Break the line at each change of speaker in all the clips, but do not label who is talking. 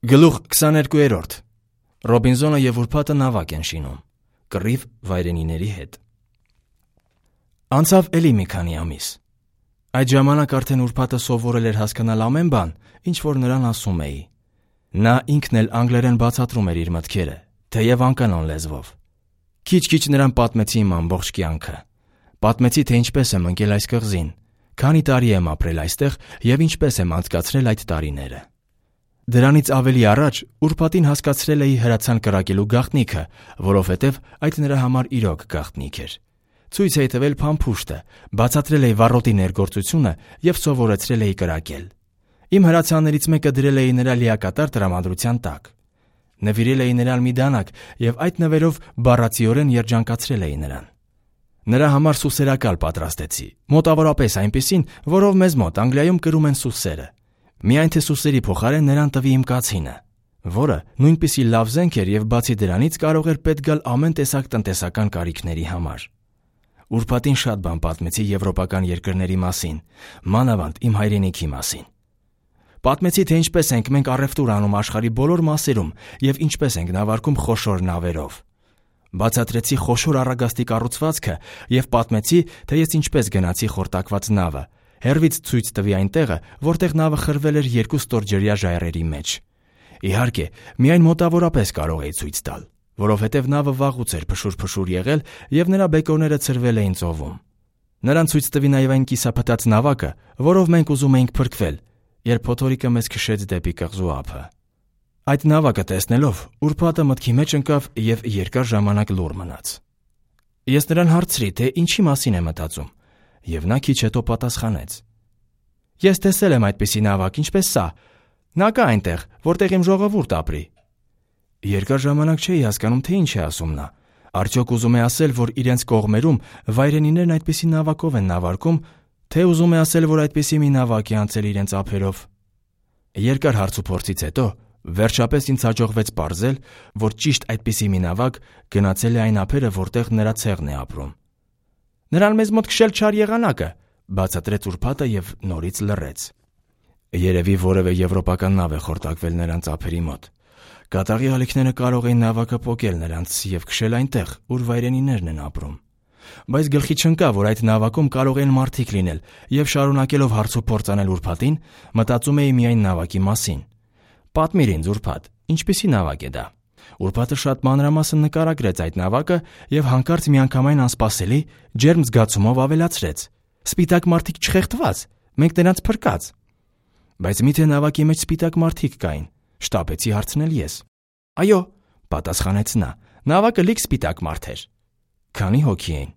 Գլուխ 22. Ռոբինզոնը և ուրբաթը նավակ են շինում։ Կռիվ վայրենիների հետ։ Անցավ էլի մի քանի ամիս։ Այդ ժամանակ արդեն ուրբաթը սովորել էր հասկանալ ամեն բան, ինչ որ նրան ասում էի։ Նա ինքն էլ անգլերեն բացատրում էր իր մտքերը, թեև անկանոն լեզվով։ Քիչ-քիչ նրան պատմեցի իմ ամբողջ կյանքը։ Պատմեցի, թե ինչպես եմ ընկել այս կղզին, քանի տարի եմ ապրել այստեղ և ինչպես եմ անցկացրել այդ տարիները։ Դրանից ավելի առաջ ուրբաթին հասկացրել էի հրացան կրակելու գաղտնիքը, որովհետև այդ նրա համար իրոք գաղտնիք էր։ Ցույց էի տվել փամփուշտը, բացատրել էի վառոտի ներգործությունը և սովորեցրել էի կրակել։ Իմ հրացաններից մեկը դրել էի նրա լիակատար տրամադրության տակ։ Նվիրել էի նրան մի դանակ և այդ նվերով բառացիորեն երջանկացրել էի նրան։ Նրա համար սուսերակալ պատրաստեցի, մոտավորապես այնպիսին, որով մեզ մոտ Անգլիայում կրում են սուսերը։ Միայն թե սուսերի փոխարեն նրան տվի իմ կացինը, որը նույնպիսի լավ զենք էր և բացի դրանից կարող էր պետք գալ ամեն տեսակ տնտեսական կարիքների համար։ Ուրբաթին շատ բան պատմեցի եվրոպական երկրների մասին, մանավանդ իմ հայրենիքի մասին։ Պատմեցի, թե ինչպես ենք մենք առևտուր անում աշխարհի բոլոր մասերում և ինչպես ենք նավարկում խոշոր նավերով։ Բացատրեցի խոշոր առագաստի կառուցվածքը և պատմեցի, թե ես ինչպես գնացի խորտակված նավը, հեռվից ցույց տվի այն տեղը, որտեղ նավը խրվել էր 2 ստորջրյա ժայռերի մեջ։ Իհարկե, միայն մոտավորապես կարող էի ցույց տալ, որովհետև նավը վաղուց էր փշուր-փշուր եղել և նրա բեկորները ցրվել էին ծովում։ Նրան ցույց տվի նաև այն կիսափտած նավակը, որով մենք ուզում էինք փրկվել, երբ փոթորիկը մեզ քշեց դեպի կղզու ափը։ Այդ նավակը տեսնելով, ուրբաթը մտքի մեջ ընկավ և երկար ժամանակ լուռ մնաց։ Ես նրան հարցրի, թե ինչի մասին է մտածում, և նա քիչ հետո պատասխանեց. Ես տեսել եմ այդպիսի նավակ, ինչպես սա։ Նա կա այնտեղ, որտեղ իմ ժողովուրդ ապրի։ Երկար ժամանակ չէի հասկանում, թե ինչ է ասում նա։ Արդյոք ուզում է ասել, որ իրենց կողմերում վայրենիներն այդպիսի նավակով են նավարկում, թե ուզում է ասել, որ այդպիսի մի նավակ է անցել իրենց ափերով։ Երկար հարցուփորձից հետո վերջապես ինձ հաջողվեց պարզել, որ ճիշտ այդպիսի մի նավակ գնացել է այն ափերը, որտեղ նրա ցեղն է ապրում։ Նրան մեզ մոտ քշել չար եղանակը, բացատրեց ուրբաթը և նորից լռեց։ Երևի որևէ եվրոպական նավ է խորտակվել նրանց ափերի մոտ։ Կատաղի ալիքները կարող էին նավակը պոկել նրանց և քշել այնտեղ, ուր վայրենիներն են ապրում։ Բայց գլխի չընկա, որ այդ նավակում կարող են մարդիկ լինել, և շարունակելով հարցուփորձ անել ուրբաթին, մտածում էի միայն նավակի մասին։ Պատմիր ինձ, ուրբաթ, ինչպիսի նավակ է դա։ Ուրբաթը շատ մանրամասն նկարագրեց այդ նավակը և հանկարծ միանգամայն անսպասելի, ջերմ զգացումով ավելացրեց. Սպիտակ մարդիկ չխեղդված, մենք նրանց փրկած։ Բայց միթե նավակի մեջ սպիտակ մարդիկ կային, շտապեցի հարցնել ես։ Այո, պատասխանեց նա, նավակը լիք սպիտակ մարդ էր։ Քանի հոգի էին։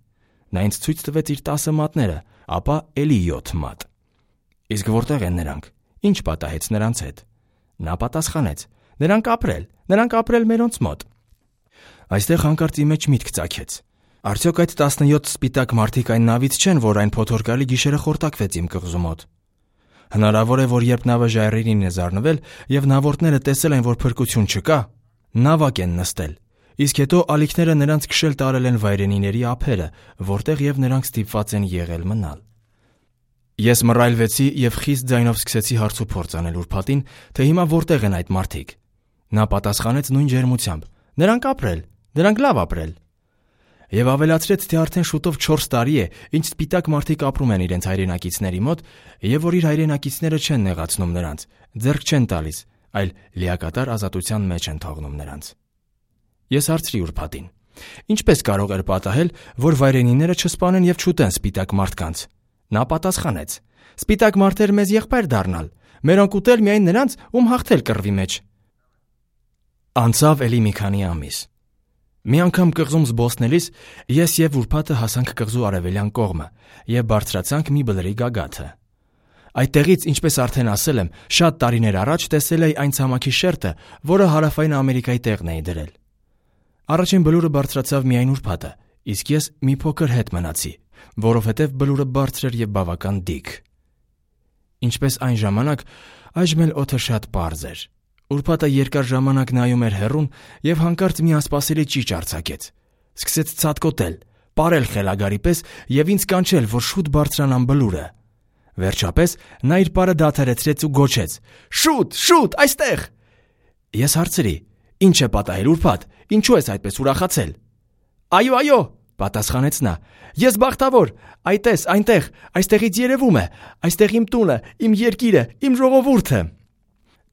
Նա ինձ ցույց տվեց իր 10 մատները, ապա էլի 7 մատ։ Իսկ որտեղ են նրանք։ Ինչ պատահեց նրանց հետ։ Նա պատասխանեց. Նրանք ապրել մերոնց մոտ։ Այստեղ հանկարծ ի մեջ միտք ծագեց։ Արդյոք այդ 17 սպիտակ մարդիկ այն նավից չեն, որ այն փոթորկալի գիշերը խորտակվեց իմ կղզու մոտ։ Հնարավոր է, որ երբ նավը ժայռերին է զառնվել և նավորդները տեսել են, որ փրկություն չկա, նավակ են նստել, իսկ հետո ալիքները նրանց քշել տարել են վայրենիների ափերը, որտեղ և նրանք ստիպված են եղել մնալ։ Ես մռայլվեցի և խիստ ձայնով սկսեցի հարցուփորձ անել ուրբաթին, թե հիմա որտեղ են այդ մարդիկ։ Նա պատասխանեց նույն ջերմությամբ. Նրանք լավ ապրել։ Եվ ավելացրեց, թե արդեն շուտով 4 տարի է, ինչ սպիտակ մարդիկ ապրում են իրենց հայրենակիցների մոտ, և որ իր հայրենակիցները չեն նեղացնում նրանց, ձեռք չեն տալիս, այլ լիակատար ազատության մեջ են թողնում նրանց։ Ես հարցրի ուրբաթին. Ինչպես կարող էր պատահել, որ վայրենիները չսպանեն և չուտեն սպիտակ մարդկանց։ Նա պատասխանեց. Սպիտակ մարդեր մեզ եղբայր դառնալ, մերոնք ուտել միայն նրանց, ում հաղթել կռվի մեջ։ Անցավ էլի մի քանի ամիս։ Մի անգամ կղզում զբոսնելիս ես և ուրբաթը հասանք կղզու արևելյան կողմը և բարձրացանք մի բլրի գագաթը։ Այդտեղից, ինչպես արդեն ասել եմ, շատ տարիներ առաջ տեսել էի այն ցամաքի շերտը, որը հարավային Ամերիկայի տեղն էի դրել։ Առաջին բլուրը բարձրացավ միայն ուրբաթը, իսկ ես մի փոքր հետ մնացի, որովհետև բլուրը բարձր էր և բավական դիք։ Ինչպես այն ժամանակ, այժմ էլ օդը շատ պարզ էր։ Ուրբաթը երկար ժամանակ նայում էր հեռուն և հանկարծ մի անսպասելի ճիչ արձակեց։ Սկսեց ցատկոտել, պարել խելագարի պես և ինձ կանչել, որ շուտ բարձրանամ բլուրը։ Վերջապես նա իր պարը դադարեցրեց ու գոչեց. Շուտ, այստեղ։ Ես հարցրի. «Ինչ է պատահել, ուրբաթ, ինչու ես այդպես ուրախացել»։ «Այո», պատասխանեց նա, «ես բախտավոր, այտես, այնտեղ, այստեղից երևում է, այստեղ իմ տունը, իմ երկիրը, իմ ժողովուրդը»։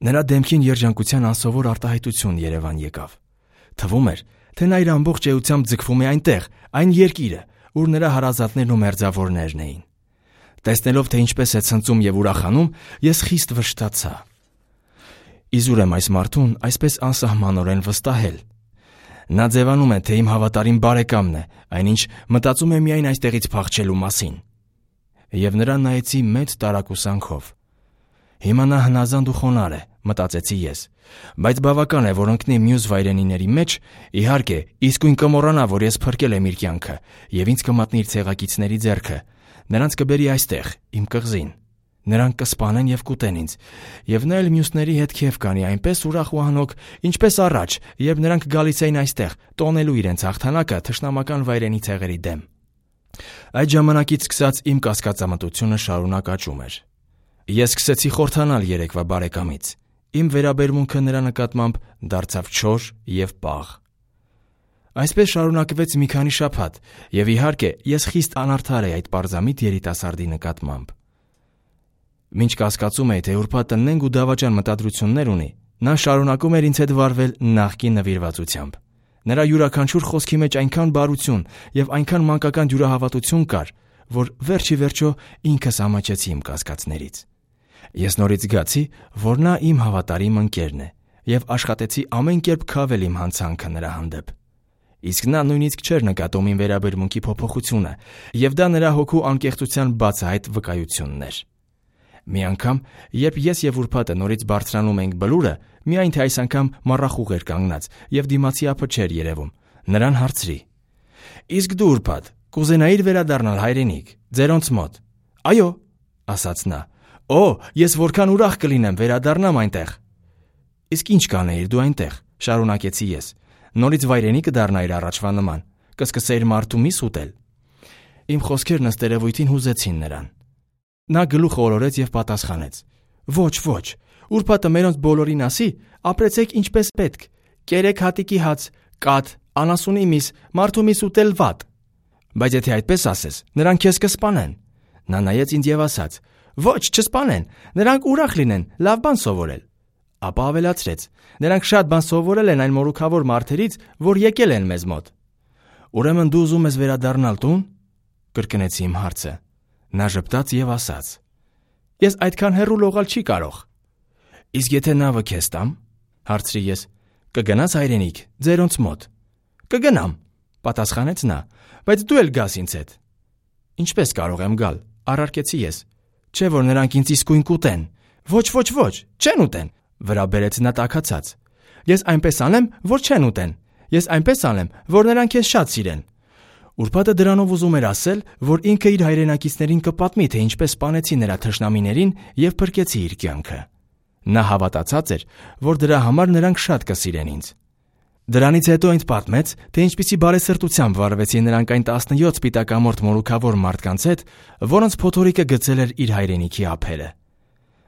Նրա դեմքին երջանկության անսովոր արտահայտություն Երևան եկավ։ Թվում էր, թե նա իր ամբողջ էությամբ ձգվում է այնտեղ, այն երկիրը, ուր նրա հարազատներն ու մերձավորներն էին։ Տեսնելով, թե ինչպես է ցնծում եւ ուրախանում, ես խիստ վշտացա։ Իզուր եմ այս մարդուն այսպես անսահմանորեն վստահել։ Նա ձևանում է, թե իմ հավատարիմ բարեկամն է, այնինչ մտածում է միայն այստեղից փախչելու մասին։ Եվ նրան նայեցի մեծ տարակուսանքով։ Հիմա նա հնազանդ ու խոնարհ է, մտածեցի ես, բայց բավական է, որ ընկնի մյուս վայրենիների մեջ, իհարկե, իսկույն կմոռանա, որ ես փրկել եմ իր կյանքը եւ ինձ կմատնի իր ցեղակիցների ձեռքը, նրանց կբերի այստեղ, իմ կղզին։ Նրանք կսպանեն եւ կուտեն ինձ, եւ նա էլ մյուսների հետ քեֆ կանի այնպես ուրախ ու անհոգ, ինչպես առաջ, երբ նրանք գալիս էին այստեղ, տոնելու իրենց հաղթանակը թշնամական վայրենի ցեղերի դեմ։ Այդ ժամանակից սկսած իմ կասկածամտությունը շարունակ աճում էր։ Ես սկսեցի խորթանալ երեկվա բարեկամից։ Իմ վերաբերմունքը նրա նկատմամբ դարձավ չոր եւ պաղ։ Այսպես շարունակվեց մի քանի շաբաթ, եւ իհարկե ես խիստ անարդար էի այդ պարզամիտ երիտասարդի նկատմամբ։ Մինչ կասկածում էի, թե ուրբաթը նենգ ու դավաճան մտադրություններ ունի, նա շարունակում էր ինձ հետ վարվել նախկին նվիրվածությամբ։ Նրա յուրաքանչյուր խոսքի մեջ այնքան բարություն եւ այնքան մանկական դյուրահավատություն կար, որ վերջի վերջո ինքս ամաչեցի իմ կասկածներից։ Ես նորից զգացի, որ նա իմ հավատարիմ ընկերն է եւ աշխատեցի ամեն կերպ քավել իմ հանցանքը նրա հանդեպ։ Իսկ նա նույնիսկ չէր նկատում իմ վերաբերմունքի փոփոխությունը, եւ դա նրա հոգու անկեղծության բացահայտ վկայությունն էր։ Մի անգամ, երբ ես եւ ուրբաթը նորից բարձրանում էինք բլուրը, միայն թե այս անգամ մառախուղ էր կանգնած եւ դիմացի ափը չէր երևում, նրան հարցրի. «Իսկ դու ուրբաթ, կուզենայիր վերադառնալ հայրենիք, ձերոնց մոտ»։ «Այո», ասաց նա։ «Օ, ես որքան ուրախ կլինեմ վերադառնամ այնտեղ»։ «Իսկ ինչ կանեիր դու այնտեղ»։ Շարունակեցի ես։ «Նորից վայրենի կդառնայիր առաջվա նման, կսկսեիր մարդու միս ուտել»։ Իմ խոսքերն ըստ երևույթին հուզեցին նրան։ Նա գլուխ օրորեց եւ պատասխանեց. «Ոչ, ուրբաթը մերոնց բոլորին ասի, ապրեցեք ինչպես պետք, կերեք հատիկի հաց, կաթ, անասունի միս, մարդու միս ուտել վատ։ Բայց եթե այդպես ասես, նրանք քեզ կսպանեն»։ Նա նայեց ինձ եւ ասաց. «Ոչ, չսպանեն, նրանք ուրախ լինեն, լավ բան սովորել»։ Ապա ավելացրեց. «Նրանք շատ բան սովորել են այն մորուքավոր մարդերից, որ եկել են մեզ մոտ»։ «Ուրեմն դու ուզում ես վերադառնալ տուն»։ Կրկնեցի իմ հարցը։ Նա ժպտաց եւ ասաց. «Ես այդքան հեռու լողալ չի կարող»։ «Իսկ եթե նավը քեզ տամ»։ Հարցրի ես. «Կգնաս հայրենիք, ձերոնց մոտ»։ «Կգնամ», պատասխանեց նա, «բայց դու էլ գաս ինձ հետ»։ «Ինչպես կարող եմ գալ»։ Առարկեցի ես։ «Չէ՞ որ նրանք ինձ իսկույն կուտեն»։ Ոչ, չեն ուտեն», վրա բերեց նա տաքացած։ «Ես այնպես անեմ, որ չեն ուտեն։ Ես այնպես անեմ, որ նրանք քեզ շատ սիրեն»։ Ուրբաթը դրանով ուզում էր ասել, որ ինքը իր հայրենակիցներին կպատմի, թե ինչպես սպանեցի նրա թշնամիներին եւ փրկեցի իր կյանքը։ Նա հավատացած էր, որ դրա համար նրանք շատ կսիրեն ինձ։ Դրանից հետո ինձ պատմեց, թե ինչպիսի բարեսրտությամբ վարվեցին նրանք այն 17 սպիտակամորթ մորուքավոր մարդկանց հետ, որոնց փոթորիկը գցել էր իր հայրենիքի ափերը։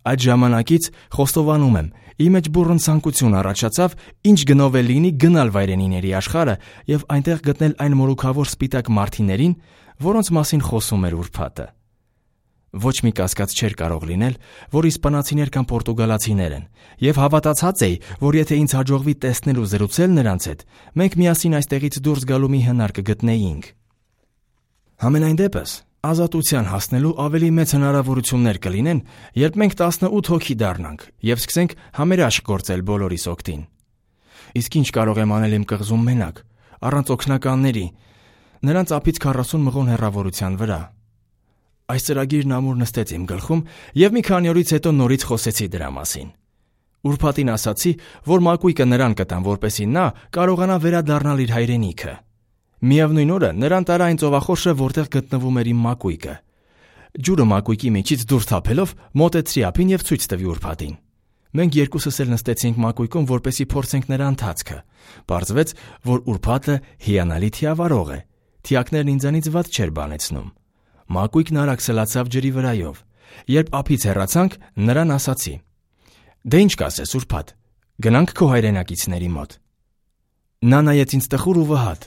Այդ ժամանակից խոստովանում եմ, իմ մեջ բուռն ցանկություն առաջացավ, ինչ գնով է լինի գնալ վայրենիների աշխարհը եւ այնտեղ գտնել այն մորուքավոր սպիտակ մարդիներին, որոնց մասին խոսում էր ուրբաթը։ Ոչ մի կասկած չէր կարող լինել, որ իսպանացիներ կամ պորտուգալացիներ են, եւ հավատացած էի, որ եթե ինձ հաջողվի տեսնել ու զրուցել նրանց հետ, մենք միասին այստեղից դուրս գալու մի հնար կգտնեինք։ Համենայն դեպս, ազատության հասնելու ավելի մեծ հնարավորություններ կլինեն, երբ մենք 18 հոգի դառնանք եւ սկսենք համերաշխ գործել բոլորիս օգտին։ Իսկ ինչ կարող եմ անել իմ կղզում մենակ, առանց օգնականների, նրանց ափից 40 մղոն հեռավորության վրա։ Այս ծրագիրն ամուր նստեց իմ գլխում եւ մի քանի օրից հետո նորից խոսեցի դրա մասին։ Ուրբաթին ասացի, որ մակույկը նրան կտամ, որպեսզի նա կարողանա վերադառնալ իր հայրենիքը։ Միևնույն օրը նրան տարա այն ծովախորշը, որտեղ գտնվում էր իմ մակույկը։ Ջուրը մակույկի միջից դուրս թափելով մոտեցրի ափին եւ ցույց տվի ուրբաթին։ Մենք երկուսս էլ նստեցինք մակույկում, որպեսզի փորձենք նրա ընթացքը։ Պարզվեց, որ ուրբաթը հիանալի թիավարող է։ Թիակներն ինձանից վատ չէր բանեցնում։ Մակույկն արագ սլացավ ջրի վրայով։ Երբ ափից հեռացանք, նրան ասացի. «Դե ինչ կասես, ուրբաթ, Գնանք քո հայրենակիցների մոտ։ Նա նայեց ինձ տխուր ու վհատ։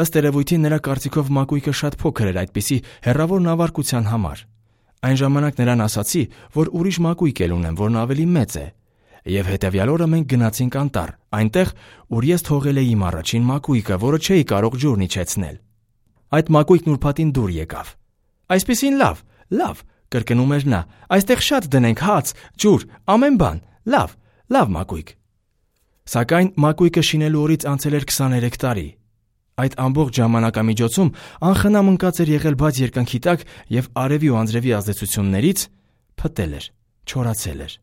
Ըստ երևույթին նրա կարծիքով մակույկը շատ փոքր էր այդպիսի հեռավոր նավարկության համար։ Այն ժամանակ նրան ասացի, որ ուրիշ մակույկ էլ ունեմ, որն ավելի մեծ է։ Եվ հետևյալ օրը մենք գնացինք անտառ, այնտեղ, ուր ես թողել էի իմ առաջին մակույկը, որը չէի կարող ջուրն իջեցնել։ Այդ մակույկն ուրբաթին դուր եկավ։ Այսպիսին լավ, կրկնում էր նա, այստեղ շատ դնենք հաց, ջուր, ամեն բան, լավ մակույկ։ Սակայն մակույկը շինելու օրից անցել էր 23 տարի։ Այդ ամբողջ ժամանակամիջոցում անխնամ ընկած էր եղել բաց երկնքի տակ եւ արևի ու անձրևի ազդեցություններից փտել էր, չորացել էր։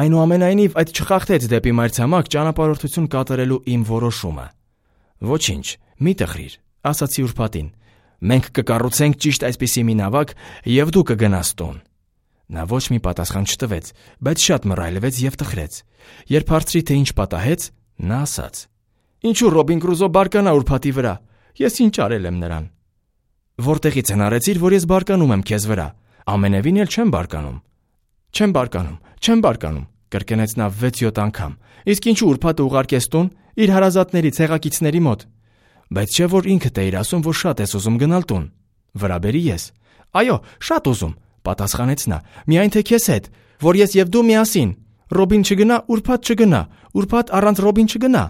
Այնուամենայնիվ այդ չխախտեց դեպի մայրցամաք ճանապարհորդություն կատարելու իմ որոշումը։ Ոչինչ, մի տխրիր, ասացի ուրբաթին։ Մենք կկառուցենք ճիշտ այսպիսի մի նավակ եւ դու կգնաս տուն։ Նա ոչ մի պատասխան չտվեց, բայց շատ մռայլվեց եւ տխրեց։ Երբ հարցրի, թե ինչ պատահեց, նա ասաց. Ինչու Ռոբին Կրուզո բարկանա ուրբաթի վրա։ Ես ինչ արել եմ նրան։ Որտեղից հնարեցիր, որ ես բարկանում եմ քեզ վրա։ Ամենևին էլ չեմ բարկանում։ Չեմ բարկանում, կրկնեց նա 6-7 անգամ։ Իսկ ինչու ուրբաթը ուղարկես տուն իր հարազատների ցեղակիցների մոտ։ Բայց չէ որ ինքդ էիր ասում, որ շատ ես ուզում գնալ տուն։ Վրա բերի ես։ Այո, շատ ուզում, պատասխանեց նա։ Միայն թե քեզ հետ, որ ես եւ դու միասին։ Ռոբին չգնա, ուրբաթ չգնա, ուրբաթ առանց Ռոբին չգնա։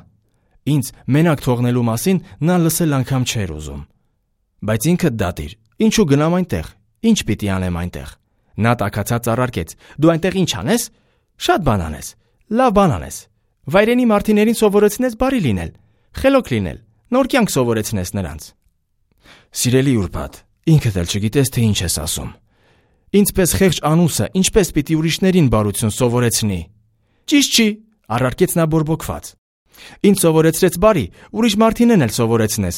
Ինձ մենակ թողնելու մասին նա լսել անգամ չէր ուզում։ Բայց ինքդ դատիր, ինչու գնամ այնտեղ։ Ինչ պիտի անեմ այնտեղ։ Նա տաքացած առարկեց. Դու այնտեղ ինչ անես։ Շատ բան անես։ Լավ բան անես։ Վայրենի մարդիներին սովորեցնես բարի լինել, խելոք լինել, նոր կյանք սովորեցնես նրանց։ Սիրելի ուրբաթ, ինքդ էլ չգիտես թե ինչ ես ասում։ Ինձպես խեղճ անուսը ինչպես պիտի ուրիշներին բարություն սովորեցնի։ Ճիշտ չի, առարկեց նա բորբոքված։ Ինձ սովորեցրեց բարի, ուրիշ մարդինեն էլ սովորեցնես։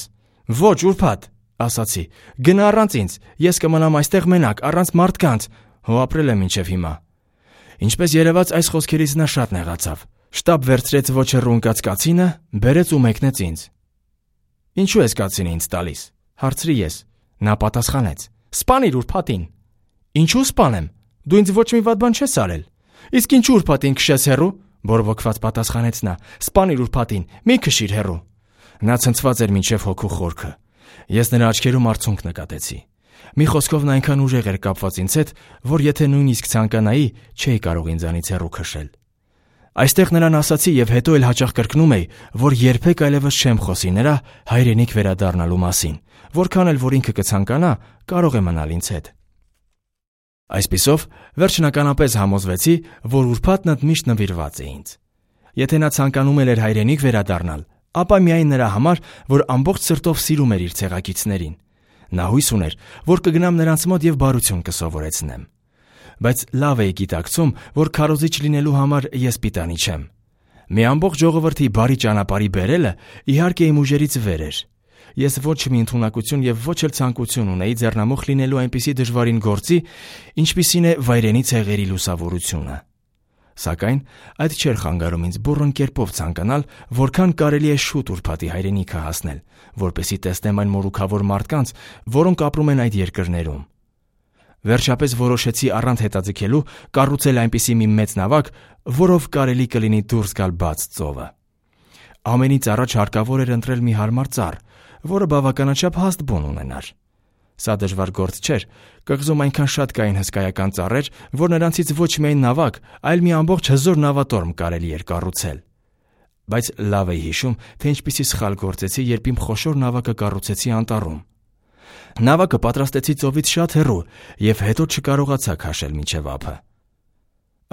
Ոչ, ուրբաթ, ասացի, գնա առանց ինձ, ես կմնամ այստեղ մենակ, առանց մարդկանց, հո ապրել եմ մինչև հիմա։ Ինչպես երևաց այս խոսքերից նա շատ նեղացավ։ Շտապ վերցրեց ոչ հեռու ընկած կացինը, բերեց ու մեկնեց ինձ։ Ինչու ես կացինը ինձ տալիս, հարցրի ես։ Նա պատասխանեց. Սպանիր ուրբաթին։ Ինչու սպանեմ։ Դու ինձ ոչ մի վատ բան չես արել։ Իսկ ինչու ուրբաթին քշես հեռու, բորբոքված պատասխանեց նա։ Սպանիր ուրբաթին, մի քշիր հեռու։ Նա ցնցված էր մինչև հոգու խորքը։ Ես նրա աչքերում արցունք նկատեցի։ Մի խոսքով նա այնքան ուժեղ էր կապված ինձ հետ, որ եթե նույնիսկ ցանկանայի, չէի կարող ինձանից հեռու քշել։ Այստեղ նրան ասացի եւ հետո էլ հաճախ կրկնում էի, որ երբեք այլևս չեմ խոսի նրա հայրենիք վերադառնալու մասին, որքան էլ որ ինքը կցանկանա, կարող է մնալ ինձ հետ։ Այսպիսով, վերջնականապես համոզվեցի, որ ուրբաթն ընդմիշտ նվիրված է ինձ։ Եթե նա ցանկանում էր հայրենիք վերադառնալ, ապա միայն նրա համար, որ ամբողջ սրտով սիրում էր իր ցեղակիցներին։ Նա հույս ուներ, որ կգնամ նրանց մոտ եւ բարություն կսովորեցնեմ։ Բայց լավ էի գիտակցում, որ քարոզիչ լինելու համար ես պիտանի չեմ։ Մի ամբողջ ժողովրդի բարի ճանապարհի բերելը իհարկե իմ ուժերից վեր էր։ Ես ոչ մի ընդունակություն եւ ոչ էլ ցանկություն ունեի ձեռնամուխ լինելու այնպիսի դժվարին գործի, ինչպիսին է վայրենի ցեղերի լուսավորությունը։ Սակայն այդ չէր խանգարում ինձ բուռն կերպով ցանկանալ, որքան կարելի է շուտ ուրբաթի հայրենիքը հասնել, որպեսզի տեսնեմ այն մորուքավոր մարդկանց, որոնք ապրում են այդ երկրներում։ Վերջապես որոշեցի առանց հետաձգելու կառուցել այնպիսի մի մեծ նավակ, որով կարելի կլինի դուրս գալ բաց ծովը։ Ամենից առաջ հարկավոր էր ընտրել մի հարմար ծառ, որը բավականաչափ հաստ բուն ունենար։ Սա դժվար գործ չէր, կղզում այնքան շատ կային հսկայական ծառեր, որ նրանցից ոչ միայն նավակ, այլ մի ամբողջ հզոր նավատորմ կարելի էր կառուցել։ Բայց լավ էի հիշում, թե ինչպիսի սխալ գործեցի, երբ իմ խոշոր նավակը կառուցեցի անտառում։ Նավակը պատրաստեցի ծովից շատ հեռու եւ հետո չկարողացա քաշել մինչև ափը։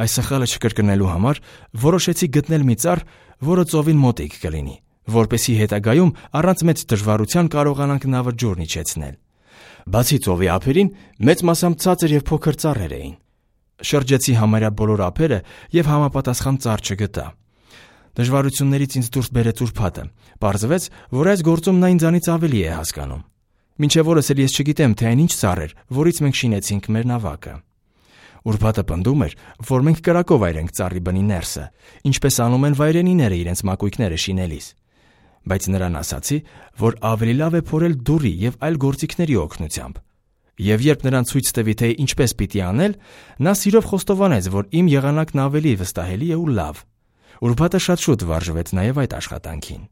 Այս սխալը չկրկնելու համար որոշեցի գտնել մի ծառ, որը ծովին մոտիկ կլինի, որպեսզի հետագայում առանց մեծ դժվարության կարողանանք նավը ջուրն իջեցնել։ Բացի ծովի ափերին մեծ մասամբ ցածր եւ փոքր ծառեր էին։ Շրջեցի համարյա բոլոր ափերը եւ համապատասխան ծառ չգտա։ Դժվարություններից ինձ դուրս բերեց ուրբաթը։ Պարզվեց, որ այս գործում նա ինձանից ավելի է հասկանում։ Մինչև օրս էլ ես չգիտեմ, թե այն ինչ ծառ էր, որից մենք շինեցինք մեր նավակը։ Ուրբաթը պնդում էր, որ մենք կրակով այրենք ծառի բնի ներսը, ինչպես անում են վայրենիները իրենց մակույկները շինելիս։ Բայց նրան ասացի, որ ավելի լավ է փորել դուրի եւ այլ գործիքների օգնությամբ։ Եվ երբ նրան ցույց տվի, թե ինչպես պիտի անել, նա սիրով խոստովանեց, որ իմ եղանակն ավելի վստահելի է ու լավ։ Ուրբաթը շատ շուտ վարժվեց նաև այդ աշխատանքին։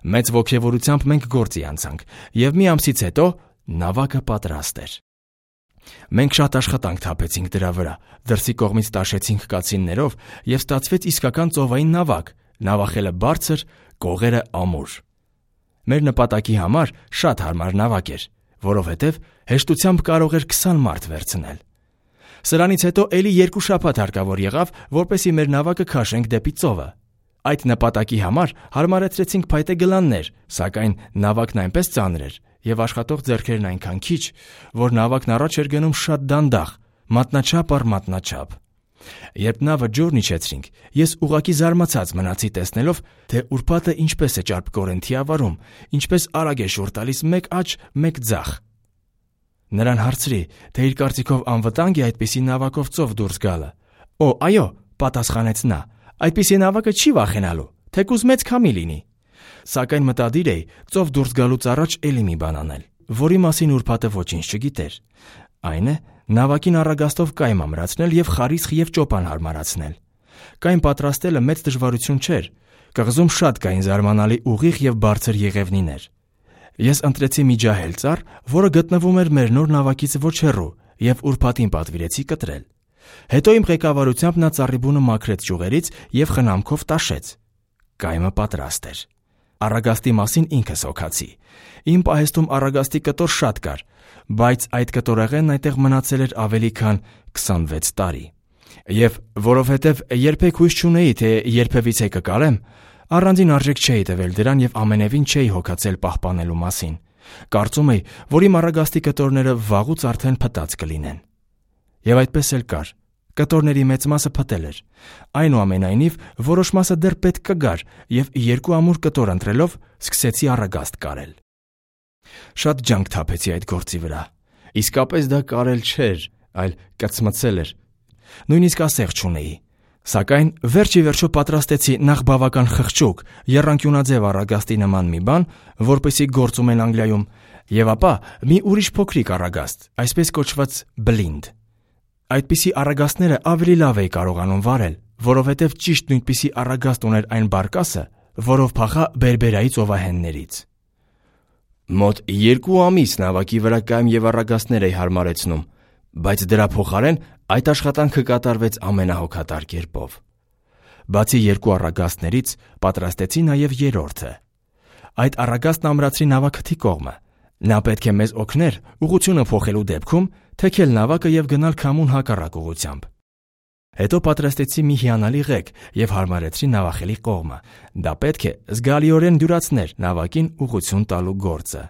Մեծ ոգևորությամբ մենք գործի անցանք, եւ մի ամսից հետո նավակը պատրաստ էր։ Մենք շատ աշխատանք թափեցինք դրա վրա, դրսի կողմից տաշեցինք կացիններով եւ ստացվեց իսկական ծովային նավակ, նավախելը բարձր, կողերը ամուր։ Մեր նպատակի համար շատ հարմար նավակ էր, որովհետեւ հեշտությամբ կարող էր 20 մարդ վերցնել։ Սրանից հետո էլի 2 շաբաթ հարկավոր եղավ, որպեսզի մեր նավակը քաշենք դեպի ծովը։ Այդ նպատակի համար հարմարեցրեցինք փայտե գլաններ, սակայն նավակն այնպես ծանր էր եւ աշխատող ձեռքերն այնքան քիչ, որ նավակն առաջ էր գնում շատ դանդաղ, մատնաչափ առ մատնաչափ։ Երբ նավը ջուրն իջեցրինք, ես ուղղակի զարմացած մնացի տեսնելով, թե ուրբաթը ինչպես է ճարպկորեն թիավարում, ինչպես արագ է շուռ տալիս մեկ աջ, մեկ ձախ։ Նրան հարցրի, թե իր կարծիքով անվտանգ է այդպիսի նավակով ծով դուրս գալը։ «Օ, այո», պատասխանեց նա, «այդպիսի նավակը չի վախենալու, թեկուզ մեծ քամի լինի»։ Սակայն մտադիր էի ծով դուրս գալուց առաջ էլի մի բան անել, որի մասին ուրբաթը ոչինչ չգիտեր։ Այն է, նավակին առագաստով կայմ ամրացնել եւ խարիսխ եւ ճոպան հարմարացնել։ Կայմ պատրաստելը մեծ դժվարություն չէր։ Կղզում շատ կային զարմանալի ուղիղ եւ բարձր եղևնիներ։ Ես ընտրեցի մի ջահել ծառ, որը գտնվում էր մեր նոր նավակից ոչ հեռու, եւ ուրբաթին պատվիրեցի կտրել։ Հետո իմ ղեկավարությամբ նա ծառի բունը մաքրեց ճյուղերից եւ խնամքով տաշեց։ Կայմը պատրաստ էր։ Առագաստի մասին ինքս հոգացի։ Իմ պահեստում առագաստի կտոր շատ կար, բայց այդ կտորեղենն այնտեղ մնացել էր ավելի քան 26 տարի։ Եվ որովհետև երբեք հույս չունեի, թե երբևիցե կկարեմ, առանձին արժեք չէի տվել դրան եւ ամենևին չէի հոգացել պահպանելու մասին։ Կարծում էի, որ իմ առագաստի կտորները վաղուց արդեն փտած կլինեն։ Եվ այդպես էլ կար։ Կտորների մեծ մասը փտել էր։ Այնուամենայնիվ, որոշ մասը դեռ պետք կգար, եւ 2 ամուր կտոր ընտրելով սկսեցի առագաստ կարել։ Շատ ջանք թափեցի այդ գործի վրա։ Իսկապես դա կարել չէր, այլ կծմծել էր։ Նույնիսկ ասեղ չունեի։ Սակայն վերջ ի վերջո պատրաստեցի նախ բավական խղճուկ, եռանկյունաձև առագաստի նման մի բան, որպեսզի գործում են Անգլիայում, եւ ապա մի ուրիշ փոքրիկ առագաստ, այսպես կոչված բլինդ։ Այդպիսի առագաստները ավելի լավ էի կարողանում վարել, որովհետև ճիշտ նույնպիսի առագաստ ուներ այն բարկասը, որով փախա Բերբերայի ծովահեններից։ Մոտ 2 ամիս նավակի վրա կայմ եւ առագաստներ էի հարմարեցնում, բայց դրա փոխարեն այդ աշխատանքը կատարվեց ամենահոգատար կերպով։ Բացի 2 առագաստներից պատրաստեցի նաեւ 3-րդը։ Այդ առագաստն ամրացրի նավակթի կողմը։ Նա պետք է մեզ օգներ ուղղությունը փոխելու դեպքում, թեքել նավակը եւ գնալ քամուն հակառակ ուղղությամբ։ Հետո պատրաստեցի մի հիանալի ղեկ եւ հարմարեցրի նավախելի կողմը։ Դա պետք է զգալիորեն դյուրացներ նավակին ուղղություն տալու գործը։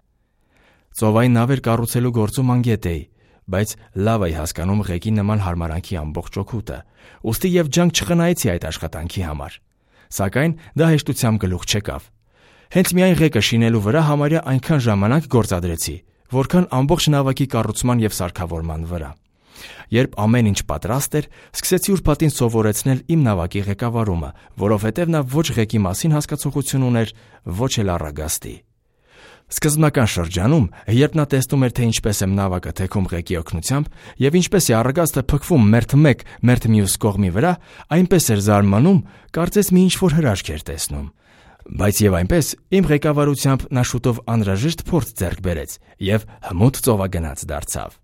Ծովային նավեր կառուցելու գործում անգետ էի, բայց լավ էի հասկանում ղեկի նման հարմարանքի ամբողջ օգուտը, ուստի եւ ջանք չխնայեցի այդ աշխատանքի համար։ Սակայն դա հեշտությամբ գլուխ չեկավ։ Հենց միայն ղեկը շինելու վրա համարյա այնքան ժամանակ գործադրեցի, որքան ամբողջ նավակի կառուցման եւ սարքավորման վրա։ Երբ ամեն ինչ պատրաստ էր, սկսեցի ուրբաթին սովորեցնել իմ նավակի ղեկավարումը, որովհետև նա ոչ ղեկի մասին հասկացողություն ուներ, ոչ էլ առագաստի։ Սկզբնական շրջանում, երբ նա տեսնում էր, թե ինչպես եմ նավակը թեքում ղեկի օգնությամբ եւ ինչպես է առագաստը փքվում մերթ մեկ, մերթ մյուս կողմի վրա, այնպես էր զարմանում, կարծես մի ինչ-որ հրաշք էր տեսնում։ Բայց եւ այնպես իմ ղեկավարությամբ նա շուտով անհրաժեշտ փորձ ձեռք բերեց եւ հմուտ ծովագնաց դարձավ։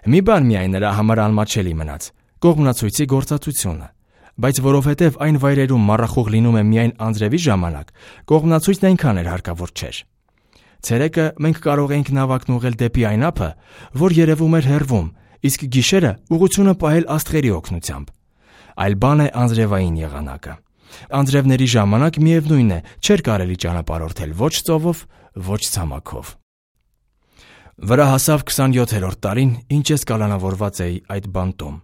Մի բան միայն նրա համար անմաչելի մնաց՝ կողմնացույցի գործածությունը, բայց որովհետև այն վայրերում մառախուղ լինում է միայն անձրևի ժամանակ, կողմնացույցն այնքան էր հարկավոր չէր։ Ցերեկը մենք կարող էինք նավակն ուղղել դեպի այն ափը, որ երևում էր հեռվում, իսկ գիշերը ուղղությունը պահել աստղերի օգնությամբ։ Այլ բան է անձրևային եղանակը։ Անձրևների ժամանակ միևնույն է, չէր կարելի ճանապարհորդել ոչ ծովով, ոչ ցամաքով։ Վրա հասավ 27-րդ տարին, ինչ ես կալանավորված էի այդ բանտում։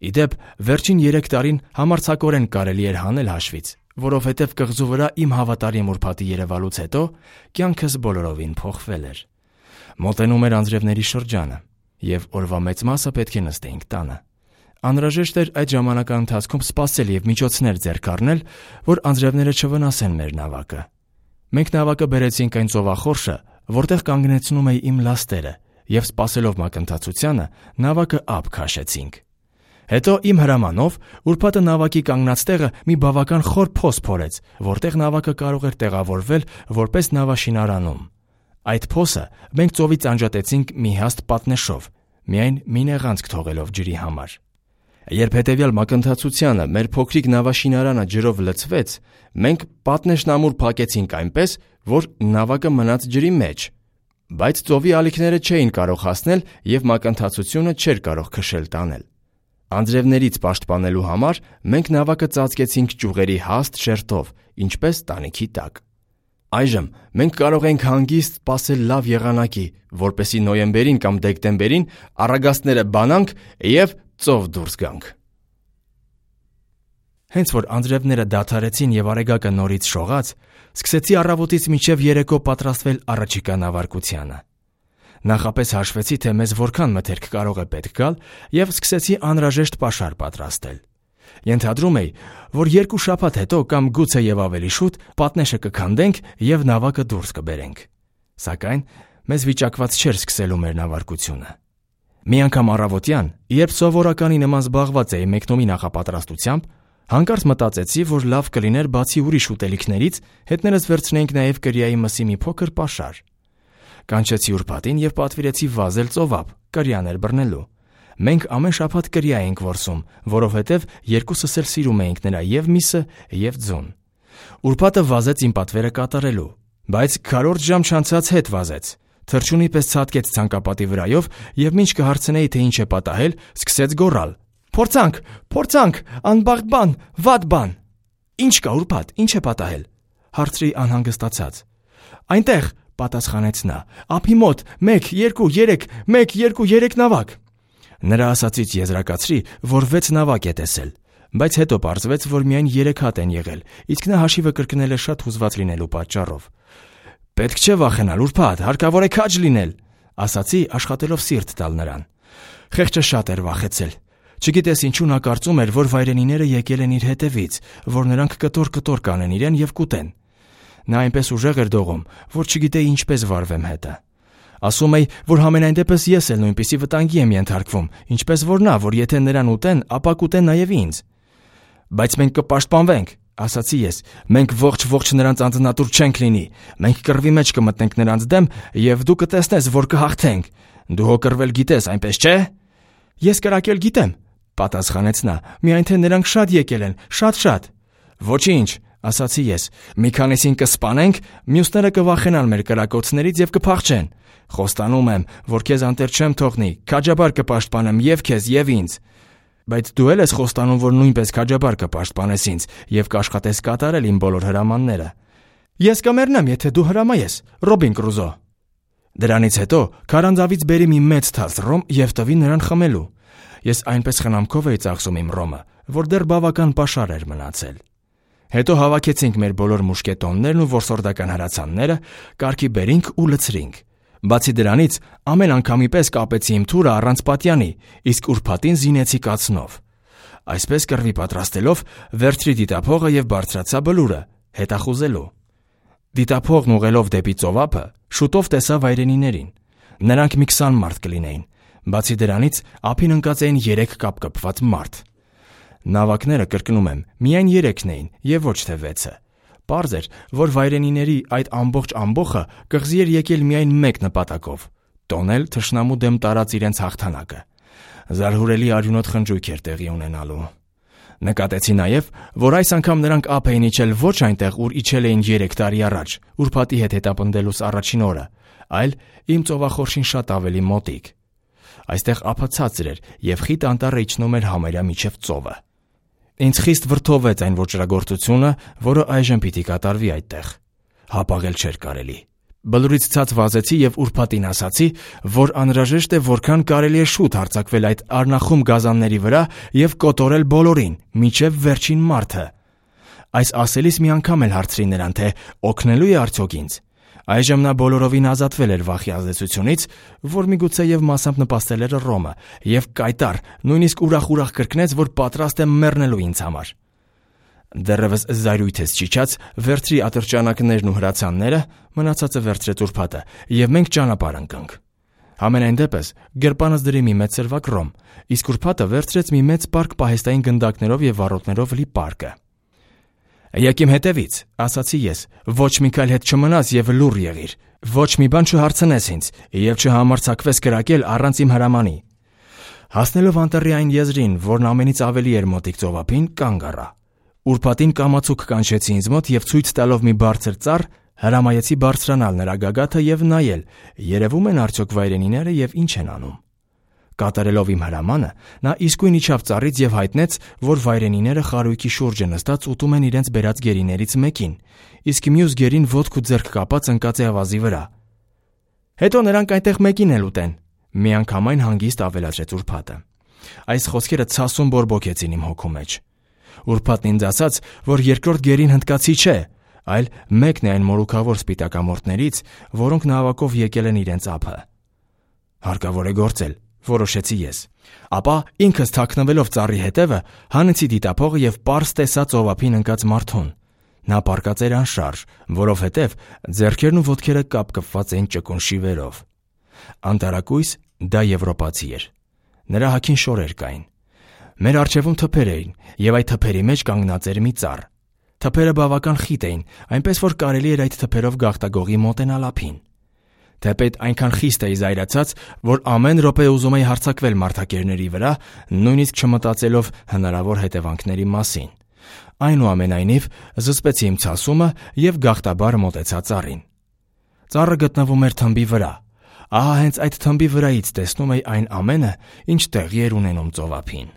Իդեպ, վերջին 3 տարին համարձակորեն կարելի էր հանել հաշվից, որովհետև կղզու վրա իմ հավատարիմ ուրբաթի երևալուց հետո կյանքս բոլորովին փոխվել էր։ Մոտենում էր անձրևների շրջանը, եւ օրվա մեծ մասը պետք է նստեինք տանը։ Անհրաժեշտ էր այդ ժամանակահատվածում սպասել եւ միջոցներ ձեռք առնել, որ անձրևները չվնասեն մեր նավակը։ Մենք նավակը բերեցինք այն ծովախորշը, որտեղ կանգնեցնում էի իմ լաստերը, եւ սպասելով մակընթացությանը նավակը ափ քաշեցինք։ Հետո իմ հրամանով ուրբաթը նավակի կանգնած տեղը մի բավական խոր փոս փորեց, որտեղ նավակը կարող էր տեղավորվել որպես նավաշինարանում։ Այդ փոսը մենք ծովից անջատեցինք մի հաստ պատնեշով, միայն մի նեղանցք թողելով ջրի համար։ Երբ հետևյալ մակընթացությանը մեր փոքրիկ նավաշինարանը ջրով լցվեց, մենք պատնեշն ամուր փակեցինք այնպես, որ նավակը մնաց ջրի մեջ, բայց ծովի ալիքները չէին կարող հասնել եւ մակընթացությունը չէր կարող քշել տանել։ Անձրևներից պաշտպանելու համար մենք նավակը ծածկեցինք ճյուղերի հաստ շերտով, ինչպես տանիքի տակ։ Այժմ մենք կարող ենք հանգիստ սպասել լավ եղանակի, որպեսզի նոյեմբերին կամ դեկտեմբերին առագաստները բանանք եւ ծով դուրս գանք։ Հենց որ անձրևները դադարեցին եւ արեգակը նորից շողաց, սկսեցի առավոտից մինչև երեկո պատրաստվել առաջիկա նավարկությանը։ Նախապես հաշվեցի, թե մեզ որքան մթերք կարող է պետք գալ եւ սկսեցի անհրաժեշտ պաշար պատրաստել։ Ենթադրում էի, որ 2 շաբաթ հետո կամ գուցե եւ ավելի շուտ պատնեշը կքանդենք եւ նավակը դուրս կբերենք։ Սակայն մեզ վիճակված չէր սկսելու մեր նավարկությունը։ Մի անգամ առավոտյան, երբ սովորականի նման զբաղված էի մեկնումի նախապատրաստությամբ, հանկարծ մտածեցի, որ լավ կլիներ բացի ուրիշ ուտելիքներից հետներս վերցնենք նաեւ կրիայի մսի մի փոքր պաշար։ Կանչեցի ուրբաթին եւ պատվիրեցի վազել ծովափ, կրիաներ բռնելու։ Մենք ամեն շաբաթ կրիա էինք որսում, որովհետեւ երկուսս էլ սիրում էինք նրա եւ միսը եւ ձուն։ Ուրբաթը վազեց իմ պատվերը կատարելու, բայց քառորդ ժամ չանցած հետ վազեց։ Թռչունի պես ցատկեց ցանկապատի վրայով եւ մինչ կհարցնեի, թե ինչ է պատահել, սկսեց գոռալ. «Փորձանք, փորձանք, անբախտ բան, վատ բան»։ «Ինչ կա ուրբաթ, ինչ է պատահել»։ Հարցրի անհանգստացած։ «Այնտեղ», պատասխանեց նա, «ափի մոտ 1, 2, 3, 1, 2, 3 նավակ»։ Նրա ասածից եզրակացրի, որ 6 նավակ է տեսել, բայց հետո պարզվեց, որ միայն 3 հատ են եղել, իսկ նա հաշիվը կրկնել է շատ հուզված լինելու պատճառով։ «Պետք չէ վախենալ, ուրբաթ, հարկավոր է քաջ լինել», ասացի, աշխատելով սիրտ տալ նրան։ Խեղճը շատ էր վախեցել։ Չգիտես ինչու նա կարծում էր, որ վայրենիները եկել են իր հետևից, որ նրանք կտոր կանեն իրեն եւ կուտեն։ Նա այնպես ուժեղ էր դողում, որ չգիտեի ինչպես վարվեմ հետը։ Ասում էի, որ համենայն դեպս ես էլ նույնպիսի վտանգի եմ ենթարկվում, ինչպես որ նա, որ եթե նրան ուտեն, ապա կուտեն նաեւ ինձ։ Բայց մենք կպաշտպանվենք, ասացի ես, մենք ողջ նրանց անձնատուր չենք լինի, մենք կռվի մեջ կմտնենք նրանց դեմ եւ դու կտեսնես, որ կհաղթենք։ Դու հո կռվել գիտես, այնպես չէ։ Ես կրակել գիտեմ, պատասխանեց նա, միայն թե նրանք շատ եկել են, շատ։ Ոչինչ, ասացի ես, մի քանիսին կսպանենք, մյուսները կվախենան մեր կրակոցներից եւ կփախչեն։ Խոստանում եմ, որ քեզ անտեր չեմ թողնի, քաջաբար կպաշտպանեմ եւ քեզ եւ ինձ։ Բայց դու էլ ես խոստանում, որ նույնպես քաջաբար կպաշտպանես ինձ եւ կաշխատես կատարել իմ բոլոր հրամանները։ Ես կմեռնեմ, եթե դու հրամայես, Ռոբին Կրուզո։ Դրանից հետո քարանձավից բերի մի մեծ թաս ռոմ եւ տվի նրան խմելու։ Ես այնպես խնամքով էի ծախսում իմ ռոմը, որ դեռ բավական պաշար էր մնացել։ Հետո հավաքեցինք մեր բոլոր մուշկետոններն ու որսորդական հրացանները, կարգի բերինք ու լցրինք։ Բացի դրանից, ամեն անգամի պես կապեցի իմ թուրը առանց պատյանի, իսկ ուրբաթին զինեցի կացնով։ Այսպես կռվի պատրաստելով, վերցրի դիտափողը եւ բարձրացա բլուրը, հետախուզելու։ Դիտափողն ուղղելով դեպի ծովափը, շուտով տեսա վայրենիներին։ Նրանք մի 20 մարդ կլինեին։ Բացի դրանից, ափին ընկած էին 3 կապկպված մարդ։ Նավակները, կրկնում եմ, միայն 3-ն էին եւ ոչ թե 6-ը։ Պարզ էր, որ վայրենիների այդ ամբողջ ամբոխը կղզի էր եկել միայն մեկ նպատակով՝ տոնել թշնամու դեմ տարած իրենց հաղթանակը։ Զարհուրելի արյունոտ խնջույք էր տեղի ունենալու։ Նկատեցի նաև, որ այս անգամ նրանք ափ էին իջել ոչ այնտեղ, ուր իջել էին 3 տարի առաջ, ուրբաթի հետ հետապնդելուց առաջին օրը, այլ իմ ծովախորշին շատ ավելի մոտիկ։ Այստեղ ափը ցածր էր եւ խիտ անտառը իջնում էր համարյա միջև ծովը։ Ինձ խիստ վրդովեց այն ոճրագործությունը, որը այժմ պիտի կատարվի այդտեղ։ Հապաղել չէր կարելի։ Բլուրից ցած վազեցի եւ ուրբաթին ասացի, որ անհրաժեշտ է որքան կարելի է շուտ հարձակվել այդ առնախում գազանների վրա եւ կոտորել բոլորին, միջև վերջին մարդը։ Այս ասելիս մի անգամ էլ հարցրի նրան, թե օգնելու է արդյոք ինձ։ Այժմ նա բոլորովին ազատվել էր վախի ազդեցությունից, որ միգուցե եւ մասամբ նպաստել էր Ռոմը, եւ կայտար, նույնիսկ ուրախ կրկնեց, որ պատրաստ է մեռնելու ինձ համար։ Դեռևս զայրույթս չիջած, վերցրի ատրճանակներն ու հրացանները, մնացածը վերցրեց ուրբաթը, եւ մենք ճանապարհ ընկանք։ Համենայն դեպս, գրպանս դրի մի մեծ սրվակ ռոմ, իսկ ուրբաթը վերցրեց մի մեծ պարկ պահեստային գնդակներով եւ վառոդներով լի պարկը։ «Եկ իմ հետևից», ասացի ես, «ոչ մի քայլ հետ չմնաս եւ լուռ եղիր, ոչ մի բան չհարցնես ինձ եւ չհամարձակվես կրակել առանց իմ հրամանի»։ Հասնելով անտառի այն եզրին, որն ամենից ավելի էր մոտիկ ծովափին, կանգ առա։ Ուրբաթին կամացուկ կանչեցի ինձ մոտ եւ ցույց տալով մի բարձր ծառ, հրամայեցի բարձրանալ նրա գագաթը եւ նայել, երևում են արդյոք վայրենիները եւ ինչ են անում։ Կատարելով իմ հրամանը, նա իսկույն իջավ ծառից եւ հայտնեց, որ վայրենիները խարույկի շուրջը նստած ուտում են իրենց բերած գերիներից մեկին, իսկ մյուս գերին ոտք ու ձեռք կապած ընկած է ավազի վրա։ «Հետո նրանք այնտեղ մեկին էլ ուտեն», միանգամայն հանգիստ ավելացրեց ուրբաթը։ Այս խոսքերը ցասում բորբոքեցին իմ հոգու մեջ։ Ուրբաթն ինձ ասաց, որ երկրորդ գերին հնդկացի չէ, այլ մեկն է այն մորուքավոր սպիտակամորթներից, որոնք նավակով եկել են իրենց ափը։ Հարկավոր է գործել, որոշեցի ես։ Ապա ինքս թաքնվելով ծառի հետևը, հանեցի դիտափողը եւ պարզ տեսա ծովափին ընկած մարդուն։ Նա պառկած էր անշարժ, որովհետեւ ձեռքերն ու ոտքերը կապկպված էին ճկուն շիվերով։ Անտարակույս դա եվրոպացի էր։ Նրա հագին շորեր կային։ Մեր առջևում թփեր էին, եւ այդ թփերի մեջ կանգնած էր մի ծառ։ Թփերը բավական խիտ էին, այնպես որ կարելի էր այդ թփերով գաղտագողի մոտենալ ափին։ Թեպետ այնքան խիստ էի զայրացած, որ ամեն րոպե ուզում էի հարձակվել մարդակերների վրա, նույնիսկ չմտածելով հնարավոր հետևանքների մասին։ Այնուամենայնիվ, զսպեցի իմ ցասումը եւ գաղտաբար մոտեցա ծառին։ Ծառը գտնվում էր թմբի վրա։ Ահա հենց այդ թմբի վրայից տեսնում էի այն ամենը, ինչ տեղի էր ունենում ծովափին։